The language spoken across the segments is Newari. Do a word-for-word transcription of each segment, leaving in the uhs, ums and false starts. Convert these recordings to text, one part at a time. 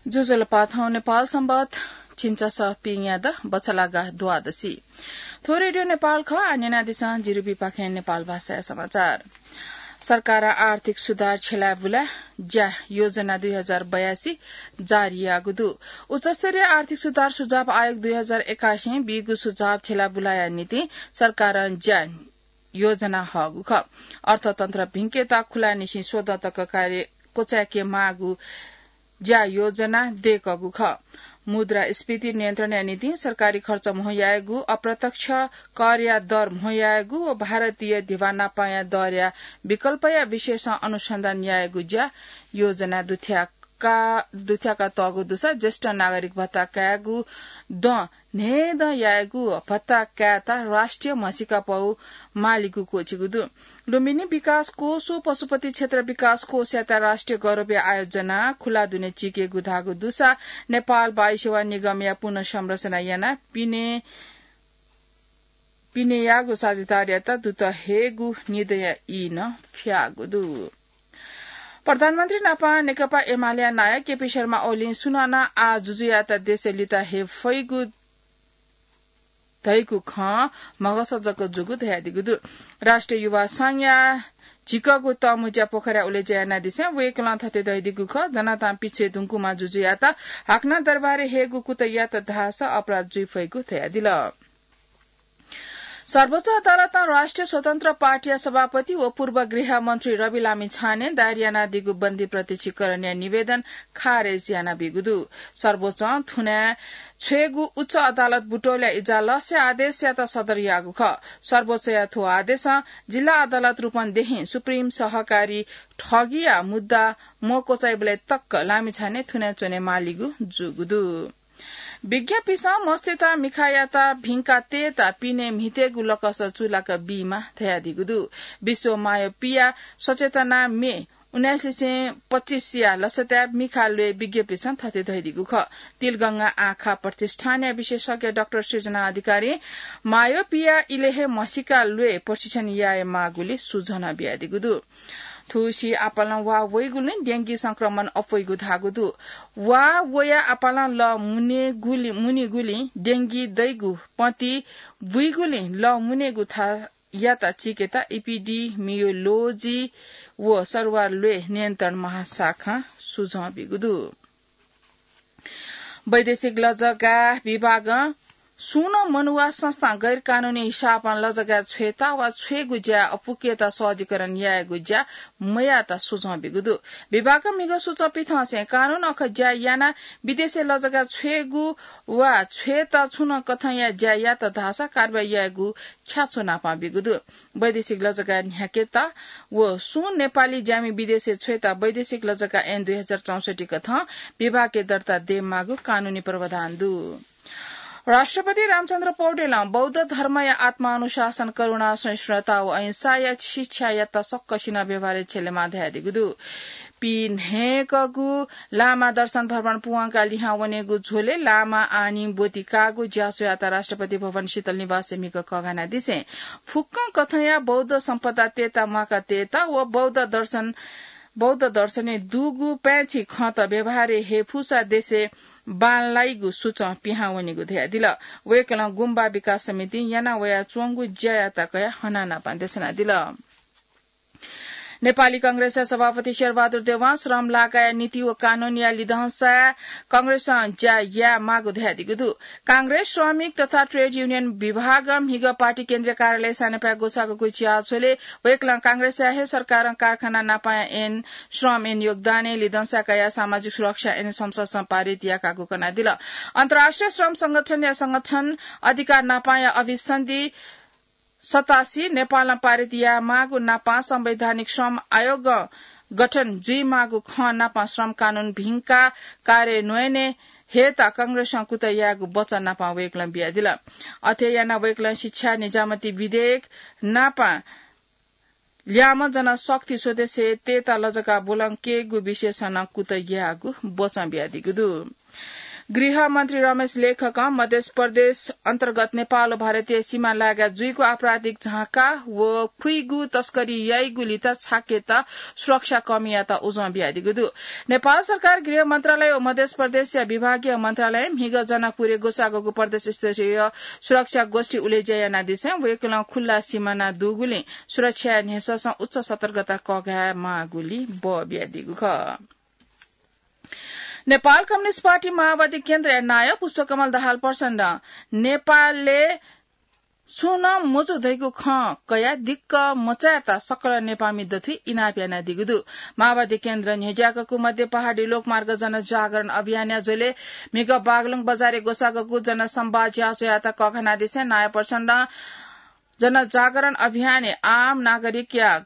ज्वजलपा, थौं नेपाल संवत झिंछसः पिंयादँ बछलागा द्वादशी। थ्व रेडियो नेपाल खः। आः न्यनादिसँ जिरुबीपाखें नेपाल भाषाया समाचार। सरकारं आर्थिक सुधार छ्यलाय् बुलाय् ज्या योजना दुई हजार बयासी जारी याःगु दु। उच्चस्तरीय आर्थिक सुधार सुझाव आयोग दुई हजार एकासीं बीगु सुझाव छ्यलाय् बुलाया निंतिं सरकारं ज्या योजना हःगु खः। अर्थतन्त्र भिंकेत खुलानिसें स्वदँ तक कार्य क्वचाय्के माःगु ज्या योजना दय्कःगु खः। मुद्रास्फीति नियन्त्रणया निंतिं सरकारी खर्च म्हो यायेगु, अप्रत्यक्ष करया दर म्हो यायेगु व भारतीय धिबा नापांया दरया विकल्पया विषयसं अनुसन्धान यायेगु ज्या योजना दुथ्याका, दुथ्याका तःगु दुसा ज्येष्ठ नागरिक भत्ता कायेगु दँ न्हय्दँ यायेगु भत्ता कायेत राष्ट्रिय म्हसीका पौ मालीगु क्वःछिगु दु। लुम्बिनी विकास कोष व पशुपति क्षेत्र विकास कोषयात राष्ट्रिय गौरवया आयोजना खुला दुने चीकेगु धाःगु दुसा नेपाल वायु सेवा निगमया पुनर्संरचना यानाः पिने, पिनेयागु साझेदारयात दुत हयेगु निदँया ई नं फ्याःगु दु। प्रधानमन्त्री नापं नेकपा एमालेया नायः केपी शर्मा ओलीं सुनानं आः जुजुयात देशय् लित हये फइगु धइगु खँ म्हगस जक जूगु धयादीगु दु। राष्ट्रिय युवा संघया झिकःगु तःमुँज्या पोखरा उलेज्या यानादिसें वय्कलं थथे धयादीगु खः, जनतां पिछ्वये धुंकूम्ह जुजुयात हाकनं दरबारय् हयेगु कुतः यात धाःसा अपराध जुइ फइगु धयादिल। सर्वोच्च अदालतं राष्ट्रिय स्वतन्त्र पार्टीया सभापति व पूर्व गृहमन्त्री रवि लामिछाने दायर यानादीगु बन्दी प्रत्यक्षीकरणया निवेदन खारेज यानाबीगु दु। सर्वोच्चं थुनाय् छ्वयेगु उच्च अदालत बुटोलया इजलासया आदेशयात सदर याःगु खः। सर्वोच्चया थ्व आदेशं जिल्ला अदालत रूपन्देहीं सुप्रिम सहकारी ठगीया मुद्दा मक्वचाइबलय् तक लामिछाने थुनाय् च्वने मालीगु जूगु दु। विज्ञपिसं मस्तय्त मिखायात भिंका तयेत पिने म्हितेगु लकस चूलाक बीमाः धयादीगु दु। विश्व मायोपिया सचेतना मे उन्नाइस सय पच्चीसया लसताय् मिखा ल्वय् विज्ञपिसं थथे धयादीगु खः। तिलगंगा आँखा प्रतिष्ठानया विशेषज्ञ डाक्टर सृजना अधिकारीं मायोपिया इलय् हे म्हसीका ल्वय् प्रशिक्षण याये माःगुलिं सुझन बियादीगु दु। थुसी आपालं वा वइगुलिं डेंगी संक्रमण अप्वइगु धाःगु दु। वा वया आपालं लः मुनेगुलि-, मुनीगुलिं डेंगी दइगु पति बुइगुलिं लः मुनेगु थायात चीकेत इपिडिमियोलोजी व सरुवा ल्वय् नियन्त्रण महाशाखां सुझं बीगु दु। वैदेशिक लजगाः विभागं सुं नं मनुवा संस्थां गैरकानूनी हिसाबं लजगाः छ्वयेत वा छ्वयेगु ज्या अपुकेत सहजीकरण यायेगु ज्या मयात सुझं बीगु दु। विभागं म्हिगः सुचं पिथंसें कानून अखः ज्या यानाः विदेशय् लजगाः छ्वयेगु वा छ्वयेत छुं नं कथंया ज्या यात धाःसा कारवाही यायेगु ख्याच्वः नापं बीगु दु। वैदेशिक लजगाः न्ह्याकेत व सुं नेपाली ज्यामि विदेशय् छ्वयेत वैदेशिक लजगाः ऐन दुई हजार चौसट्ठी कथं विभागय् दर्ता दयेमाःगु कानूनी प्रावधान दु। राष्ट्रपति रामचन्द्र पौडेलं बौद्ध धर्मया आत्मानुशासन, करुणा, सहिष्णुता व अहिंसाया शिक्षायात सकसिनं व्यवहारय् छ्यलेमाः धयादीगु दु। पीन्हय्कःगु लामा दर्शन भ्रमण पूवंकाः लिहां वनेगु झ्वलय् लामा आनी ब्वति काःगु ज्याझ्वःयात राष्ट्रपति भवन शीतल निवासय् म्हिगः कःघानादिसें फुक्कं कथंया बौद्ध सम्पदा तयेत म्वाका तयेत व बौद्ध दर्शन, बौद्ध दर्शनय् दुगु पाय्छि खँत व्यवहारय् हये फुसा देशय् बांलाइगु सुचं पिहां वनीगु धयादिल। वय्कलं गुम्बा विकास समितिं याना वयाच्वंगु ज्यायात कयाः हनानापं देछानादिल। नेपाली कांग्रेसया सभापति शेरबहादुर देवां श्रम लागाया नीति व कानूनया लिधंसाय् कांग्रेसं ज्या यायेमाःगु धयादीगु दु। कांग्रेस श्रमिक तथा ट्रेड युनियन विभागं म्हिगः पार्टी केन्द्रीय कार्यालय सानेपाय् ग्वसाःगु ज्याझ्वलय् वय्कलं कांग्रेसया हे सरकारं कारखाना नापांया ऐन, श्रम ऐन योगदानय् लिधंसा कयाः सामाजिक सुरक्षा ऐन संसदसं पारित याकागु कनादिल। अन्तर्राष्ट्रिय श्रम संगठनया संगठन अधिकार नापांया अभिसन्धि सतासी, नेपालं पारित यायेमाःगु नापां संवैधानिक श्रम आयोग गठन जुइमाःगु खँ नापां श्रम कानून भिंका कार्यान्वयनय् हयेत कांग्रेसं कुतः यायेगु वचन नापां वय्कलं बियादिल। अथे यानाः वय्कलं शिक्षा निजामती विधेयक नापां ल्याय्म्ह जनशक्ति सदस्य तयेत लजगाः ब्वलंकेगु विषयसं नं कुतः यायेगु वचन बियादीगु दु। गृहमन्त्री रमेश लेखकं मध्य प्रदेश अन्तर्गत नेपाल व भारतीय सीमा लागा जुइगु आपराधिक झाँका व खुइगु तस्करी याइगु लित छाकेत सुरक्षा कमीयात उजं बियादीगु दु। नेपाल सरकार गृह मन्त्रालय व मध्य प्रदेशया विभागीय मन्त्रालय म्हिगः जनकपुरय् ग्वसाःगु प्रदेश स्तरीय सुरक्षा गोष्ठी उलेज्या यानादिसें वय्कलं खुल्ला सिमाना दुगुलिं सुरक्षाया न्ह्यसःसं उच्च सतर्कता कःघाये माःगुली बः बियादीगु खः। नेपाल कम्युनिस्ट पार्टी माओवादी केन्द्रया नायः पुष्पकमल दाहाल प्रचण्डं नेपालय् छुं नं मजू धइगु खँ कयाः दिक्क मचायेत सकल नेपाःमि दथुइ इनाप यानादीगु दु। माओवादी केन्द्रं न्ह्यज्याकूगु मध्य पहाडी लोकमार्ग जनजागरण अभियानया झ्वलय् म्हिगः बागलुङ बजारय् ग्वसाःगु जनसंवाद ज्याझ्वःयात कःघानादिसें नायः प्रचण्डं जनजागरण अभियानय् आम नागरिकया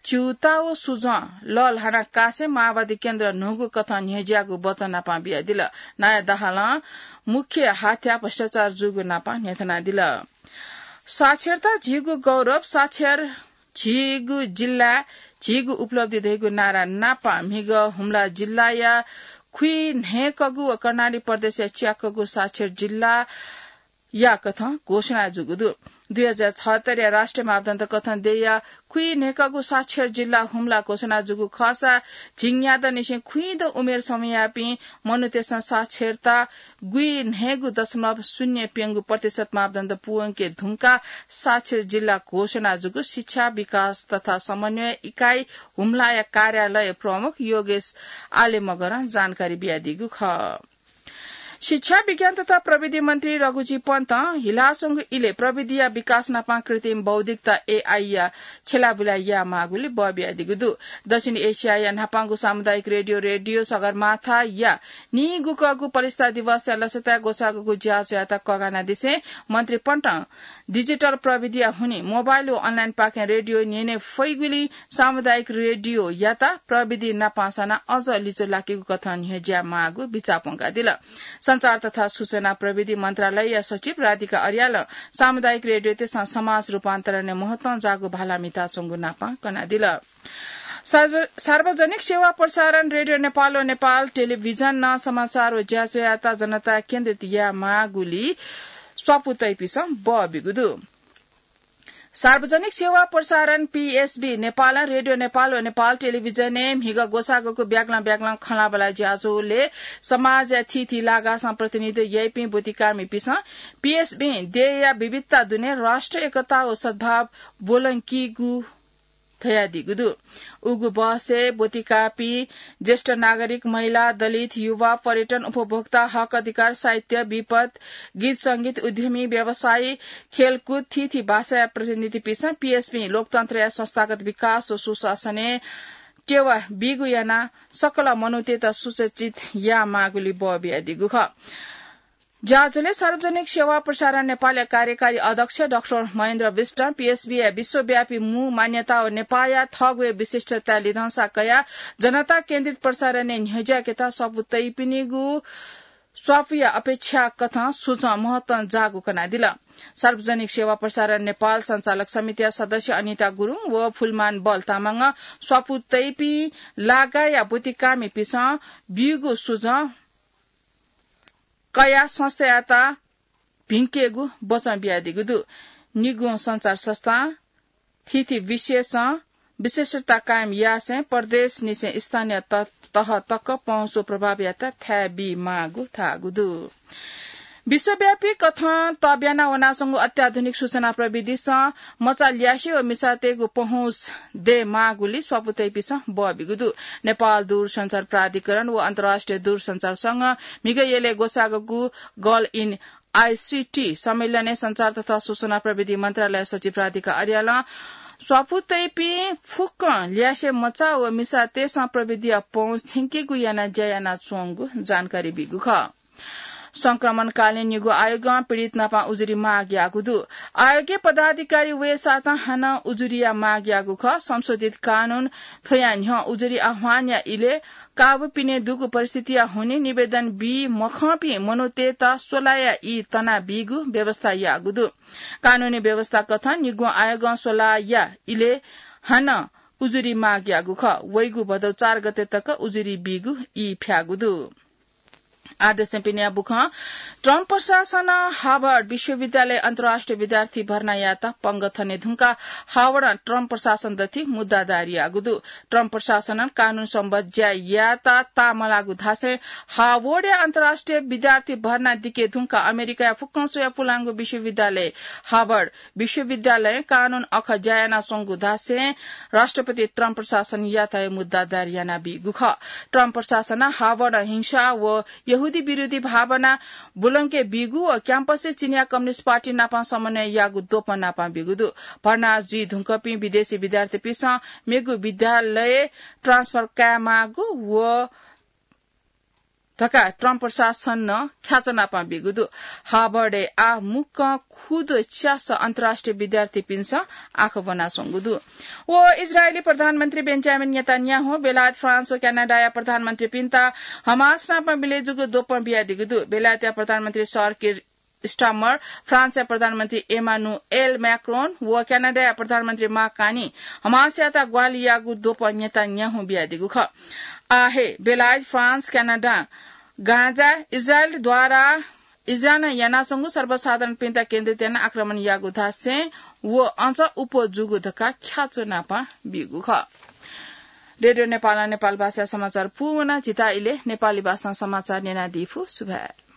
च्यूता व सुझं लःल्हाना कासें माओवादी केन्द्र न्हूगु कथं न्ह्यज्याःगु वचन नापं बियादिल। नायः दाहालं मुख्य हाथ्या भ्रष्टाचार जूगु नापं न्ह्यथनादिल। साक्षरता झीगु गौरव, साक्षर झीगु जिल्ला, झीगु उपलब्धि धइगु नारा नापं म्हिगः हुम्ला जिल्लाया खुइन्हय्कःगु व कर्णाली प्रदेशया च्याकःगु साक्षर जिल्ला या कथं घोषणा जूगु दु। दुई हजार छयत्तरया राष्ट्रिय मापदण्ड कथं देय्‌या खुइन्हय्कःगु साक्षर जिल्ला हुम्ला घोषणा जूगु खःसा झिंन्यादँनिसें खुइदँ उमेर समूहयापिं मनूतय्‌सं साक्षरता गुइन्हय्गु दशमलव शून्य प्यंगू प्रतिशत मापदण्ड पूवंके धुंकाः साक्षर जिल्ला घोषणा जूगु शिक्षा विकास तथा समन्वय इकाइ हुम्लाया कार्यालय प्रमुख योगेश आले मगरं जानकारी बियादीगु खः। शिक्षा, विज्ञान तथा प्रविधि मन्त्री रघुजी पन्तं हिलाच्वंगु इलय् प्रविधिया विकास नापं कृत्रिम बौद्धिकता, एआईया छ्यलाबुला यायेमाःगुली बः बियादीगु दु। दक्षिण एसियाया न्हापांगु सामुदायिक रेडियो, रेडियो सगरमाथाया नीगुकःगु प्रतिष्ठा दिवसया लसताय् ग्वसाःगु ज्याझ्वःयात कःघानादिसें मन्त्री पन्तं डिजिटल प्रविधिया हुनिं मोबाइल व अनलाइनपाखें रेडियो न्यने फइगुलिं सामुदायिक रेडियोयात प्रविधि नापं सनाः अझ लिच्वः लाकेगु कथं न्ह्यज्यायेमाःगु बिचाः प्वंकादिल। सञ्चार तथा सूचना प्रविधि मन्त्रालयया सचिव राधिका अर्यालं सामुदायिक रेडियोतय्‌सं समाज रूपान्तरणय् महत्वं जाःगु भाला म्हिताच्वंगु नापं कनादिल। सार्व-, सार्वजनिक सेवा प्रसारण रेडियो नेपाल व नेपाल टेलिभिजनं समाचार व ज्याझ्वःयात जनता केन्द्रित यायेमाःगुली स्वापू तइपिसं बः बिगु दु। सार्वजनिक सेवा प्रसारण, पीएसबी, नेपालं रेडियो नेपाल व नेपाल टेलिभिजनय् म्हिगः ग्वसाःगु ब्यागलं ब्यागलं खँल्हाबल्हा ज्याझ्वलय् समाजया थीथी लागासं प्रतिनिधित्व याइपिं ब्वतिकामिपिसं पीएसबीं देय्‌या विविधता दुने राष्ट्रिय एकता व सद्भाव ब्वलंकीगु धयादीगु दु। उगु बहसय् ब्वतिकापिं ज्येष्ठ नागरिक, महिला, दलित, युवा, पर्यटन, उपभोक्ता, हक अधिकार, साहित्य, विपद, गीत संगीत, उद्यमी, व्यवसायी, खेलकुद, थीथी भाषाया प्रतिनिधिपिसं पीएसबीं लोकतन्त्रया संस्थागत विकास व सुशासनय् टेवा बीगु यानाः सकल मनूतय्‌त सुसज्जित यायेमाःगुली बः बियादीगु खः। ज्याझ्वलय् सार्वजनिक सेवा प्रसारण नेपालया कार्यकारी अध्यक्ष डाक्टर महेन्द्र विष्टं पीएसबीया विश्वव्यापी मू मान्यता व नेपाःया थःगु हे विशिष्टता लिधंसा कयाः जनता केन्द्रित प्रसारणय् न्ह्यज्याकेत स्वापू तइपिनिगु स्वापूया अपेक्षा कथं सुचं महत्वं जाःगु कनादिल। सार्वजनिक सेवा प्रसारण नेपाल सञ्चालक समितिया सदस्य अनिता गुरुङ व फुलमान बल तामाङं स्वापू तइपिं लागाया ब्वतिकामिपिसं ब्यूगु सुचं कयाः संस्थायात भिंकेगु बचं बियादीगु दु। निगुं सञ्चार संस्थां थीथी विषयसं विशिष्टता कायम यासें प्रदेशनिसें स्थानीय त-, तह तक पहुँच व प्रभावयात थाय् बीमाःगु धाःगु दु। विश्वव्यापी कथं तब्याना वनाच्वंगु अत्याधुनिक सूचना प्रविधिसं मचा ल्यासे व मिसातय्‌गु पहुँच दयेमाःगुली स्वापू तइपिसं बः बिगु दु। नेपाल दूरसञ्चार प्राधिकरण व अन्तर्राष्ट्रिय दूरसञ्चार संघं म्हिगः यलय् ग्वसाःगु Girl in आईसीटी सम्मेलनय् सञ्चार तथा सूचना प्रविधि मन्त्रालय सचिव राधिका अर्यालं स्वापू तइपिं फुक्कं ल्यासे मचा व मिसातय्‌सं प्रविधिया पहुँच थ्यंकेगु यानाः ज्या यानाच्वंगु जानकारी बीगु खः। संक्रमणकालीन निगू आयोगं पीडित नापं उजुरी माग याःगु दु। आयोगय् पदाधिकारी वयेसातं हानं उजुरीया माग याःगु खः। संशोधित कानून थ्वया न्ह्यः उजुरी आह्वानया इलय् काबू पिने दुगु परिस्थितिया हुनिं निवेदन बी मखंपिं मनूतय्‌त स्वलाया ई तनाबीगु व्यवस्था याःगु दु। कानूनी व्यवस्था कथं निगू आयोगं स्वलाया इलय् हानं उजुरी माग याःगु खः। वइगु भदौ चार गते तक उजुरी बीगु ई फ्याःगु दु। आदेशपिनिया बुखं ट्रम्प प्रशासनं हार्वर्ड विश्वविद्यालय अन्तर्राष्ट्रिय विद्यार्थी भर्ना यात पंग थने धुंका हार्वर्ड ट्रम्प प्रशासन दथि मुद्दा दायर यागु दु। ट्रम्प प्रशासनं कानून सम्बद्ध ज्या यात तामलागु धासें हार्वर्डया अन्तर्राष्ट्रिय विद्यार्थी भर्ना दिके धुंका अमेरिकाया फुक्कं स्वया पुलांगु विश्वविद्यालय हार्वर्ड विश्वविद्यालयं कानून अख ज्या यानाच्वंगु धासें राष्ट्रपति ट्रम्प प्रशासनयात हे मुद्दा दायर यानाबीगु खः। ट्रम्प प्रशासनं हार्वर्ड हिंसा व यहूदी विरोधी भावना बुलंके बीगु व क्याम्पसय् चिनिया कम्युनिस्ट पार्टी नाप समन्वय याःगु द्वपं नाप बीगु दु। भर्ना जुइ धुंकपिं विदेशी विद्यार्थीपिन्सं मेगु विद्यालय ट्रान्सफर कायेमाःगु व धकाः ट्रम्प प्रशासनं ख्याचनापं बीगु दु। हार्वर्डय् आः मुक्कं खुदु च्यास अन्तर्राष्ट्रिय विद्यार्थीपिन्सं आँखा ब्वनाच्वंगु दु। व इजरायली प्रधानमन्त्री बेन्जामिन नेतान्याहु बेलायत, फ्रान्स व क्यानाडाया प्रधानमन्त्रीपिन्त हमास नाप मिले जूगु द्वपं बियादीगु दु। बेलायतया प्रधानमन्त्री सर किर स्टामर, फ्रान्सया प्रधानमन्त्री एमानुएल म्याक्रोन व क्यानाडाया प्रधानमन्त्री मार्क कार्नी हमासयात ग्वाहालि याःगु द्वपं नेतान्याहु बियादीगु खः। आः हे बेलायत, फ्रान्स, क्यानाडां गाजा इजरायलद्वारा इजरायलं यानाच्वंगु सर्वसाधारणपिन्त केन्द्रित यानाः आक्रमण याःगु धासें व अझ अप्वः जूगु धकाः ख्याचनापं बीगु खः। रेडियो नेपालं नेपाल भाषाया समाचार पूवना। जितः इलय् नेपाली भाषां समाचार न्यनादी फु। सुभाय्।